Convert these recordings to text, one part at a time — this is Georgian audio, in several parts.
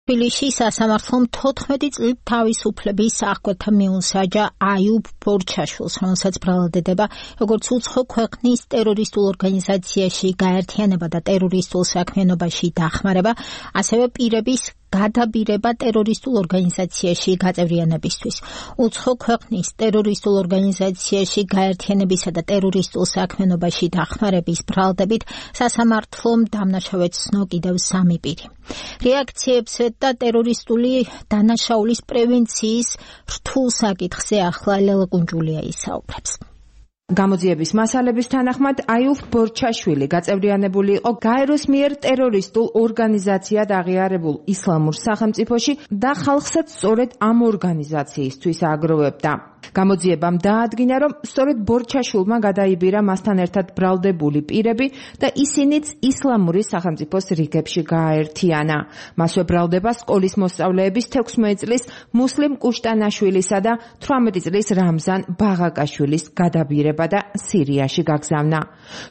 თბილისში სასამართლომ 14 წლით თავისუფლების აღკვეთა მიუსაჯა აიუბ ბორჩაშვილს, რომელსაც ბრალდებდება როგორც უცხო ქვეყნის ტერორისტულ ორგანიზაციაში გაერთიანება და ტერორისტულ საქმიანობაში დახმარება, ასევე პირების გადაბირება ტერორისტულ ორგანიზაციაში გაწევრიანებისთვის. უცხო ქვეყნის ტერორისტულ ორგანიზაციაში გაერთიანებისა და ტერორისტულ საქმიანობაში დახმარების ბრალდებით სასამართლომ დამნაშავედ ცნო კიდევ 3 პირი. რეაქციებზე და ტერორისტული დანაშაულის პრევენციის რთულ საკითხზე ახლა ლელა კუნჯულია ისაუბრებს. გამოძიების მასალების თანახმად აიუბ ბორჩაშვილი გაწევრიანებული იყო გაეროს მიერ ტერორისტულ ორგანიზაციად აღიარებულ ისლამურ სახელმწიფოში და ხალხსაც სწორედ ამ ორგანიზაციისთვის აგროვებდა. გამოძიებამ დაადგინა, რომ სწორედ ბორჩაშვილმა გადაიბირა მასთან ერთად ბრალდებული პირები და ისინიც ისლამური სახელმწიფოს რიგებში გააერთიანა. მასვე ბრალდება სკოლის მოსწავლეების 16 წლის მუსლიმ კუშტანაშვილისა და 18 წლის რამზან ბაღაკაშვილის გადაბირება და სირიაში გაგზავნა.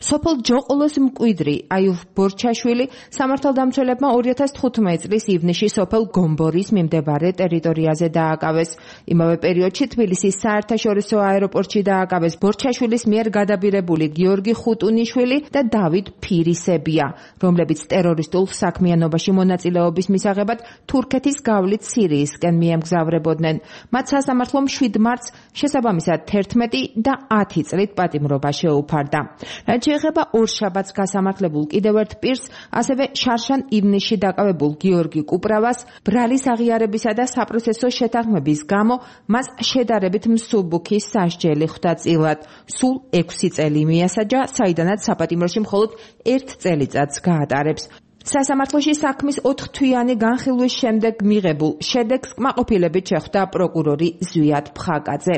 სოფელ ჯოყოლოს მკვიდრი აიუბ ბორჩაშვილი სამართალდამცველებმა 2015 წლის ივნისში სოფელ გომბორის მიმდებარე ტერიტორიაზე დააკავეს. იმავე პერიოდში თბილისის საერთაშორისო აეროპორტში დააკავეს ბორჩაშვილის მიერ გადაბირებული გიორგი ხუტუნიშვილი და დავით ფირისებია, რომლებიც ტერორისტულ საქმიანობაში მონაწილეობის მისაღებად თურქეთის გავლით სირიისკენ მიემგზავრებოდნენ. მათ სასამართლომ 7 მარტს შესაბამისად 11 და 10 წლით პატიმრობა შეუფარდა. რაც შეეხება ორშაბათს გასამართლებულ კიდევ ერთ პირს, ასევე შარშან ივნისში დაკავებულ გიორგი კუპრავას, ბრალის აღიარებისა და საპროცესო შეთანხმების გამო მას შედარებით მსუბუქი სასჯელი ხვდა წილად. სულ 6 წელი მიასაჯა, საიდანაც საპატიმროში მხოლოდ 1 წელიწადს გაატარებს. სასამართლოში საქმის 4 თვიანი განხილვის შემდეგ მიღებულ შედეგს კმაყოფილებით შეხვდა პროკურორი ზვიად ფხაკაძე.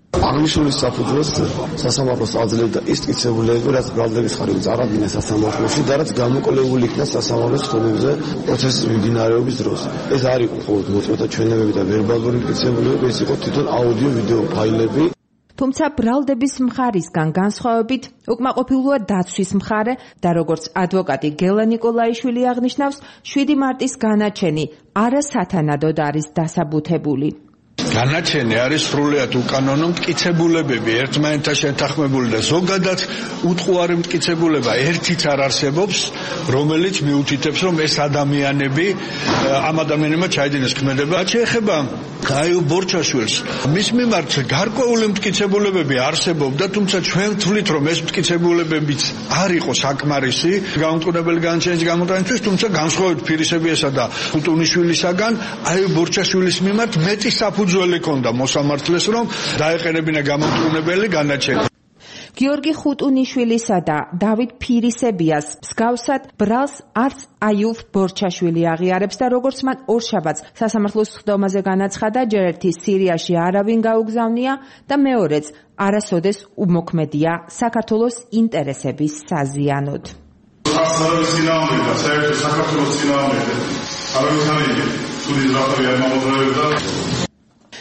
აღნიშნული საფუძველს სასამართლოს აძლევდა ის მტკიცებულები, რაც ბრალდების ხარისხი წარადგინა სასამართლოში და რაც გამოკვლეული იქნა სასამართლოს ხდომებზე პროცესის მიმდინარეობის დროს. ეს არ იყო მხოლოდ მოწმეთა ჩვენებები და ვერბალური მტკიცებულები, ეს იყო თვითონ აუდიო-ვიდეო ფაილები. თუმცა ბრალდების მხარისგან განსხვავებით უკმაყოფილოა დაცვის მხარე და როგორც ადვოკატი გელა ნიკოლაიშვილი აღნიშნავს, 7 მარტის განაჩენი არასათანადოდ არის დასაბუთებული. განაჩენი არის სრულიად უკანონო მტკიცებულებები, ერთმანეთთან შეთანხმებული და ზოგადად უტყუარი მტკიცებულება ერთიც არ არსებობს, რომელიც მიუთითებს, რომ ეს ადამიანები ამ ადამიანებმა ჩაიდინეს ქმედება. შეეხება აიუბ ბორჩაშვილს, მის მიმართ გარკვეული მტკიცებულებები არსებობდა, თუმცა ჩვენ ვთვლით, რომ ეს მტკიცებულებებიც არ იყო საკმარისი გამომტყუნებელი განაჩენის გამოტანისთვის, თუმცა განსხვავებით ფირისებიასა და ხუტუნიშვილისაგან აიუბ ბორჩაშვილის მიმართ მეტი საფუძველი ქონდა მოსამართლეს, რომ დაეყენებინა გამომტყუნებელი განაჩენი. გიორგი ხუტუნიშვილისა და დავით ფირისებიას მსგავსად ბრალს არც აიუბ ბორჩაშვილი აღიარებს და როგორც მან ორშაბათს სასამართლოს ხდომაზე განაცხადა, ჯერ ერთი სირიაში არავინ გაუგზავნია და მეორეც არასოდეს უმოქმედია საქართველოს ინტერესების საზიანოდ.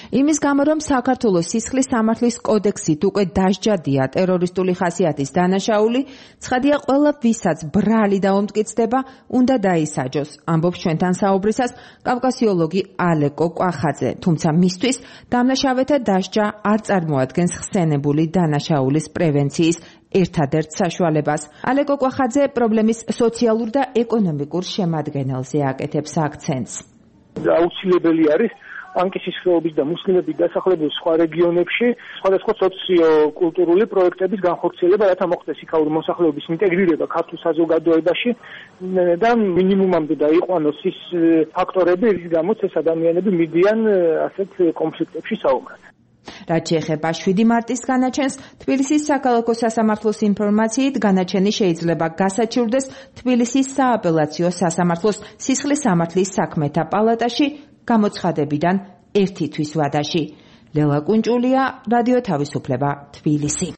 იმის გამო, რომ საქართველოს სისხლის სამართლის კოდექსით უკვე დასჯადია ტერორისტული ხასიათის დანაშაული, ცხადია ყველა ვისაც ბრალი დაუმტკიცდება, უნდა დაისაჯოს, ამბობს ჩვენთან საუბრისას კავკასიოლოგი ალეკო კვახაძე, თუმცა მისთვის დამნაშავეთა დასჯა არ წარმოადგენს ხსენებული დანაშაულის პრევენციის ერთადერთ საშუალებას. ალეკო კვახაძე პრობლემის სოციალურ და ეკონომიკურ შემადგენელზე აკეთებს აქცენტს. აუცილებელი არის პანკისის ხეობის და მუსლიმების დასახლებულ სხვა რეგიონებში სხვადასხვა სოციო-კულტურული პროექტების განხორციელება, რათა მოხდეს იქაური მოსახლეობის ინტეგრირება ქართულ საზოგადოებაში და მინიმუმამდე დაიყვანოს ის ფაქტორები, რის გამოც ეს ადამიანები მიდიან ასეთ კონფლიქტებში საუბრად. რაც შეეხება 7 მარტის განაჩენს, თბილისის საქალაქო სასამართლოს ინფორმაციით განაჩენი შეიძლება გასაჩივრდეს თბილისის სააპელაციო სასამართლოს სისხლის სამართლის საქმეთა პალატაში გამოცხადებიდან 1 თვის ვადაში. ლელა კუნჯულია, რადიო თავისუფლება, თბილისი.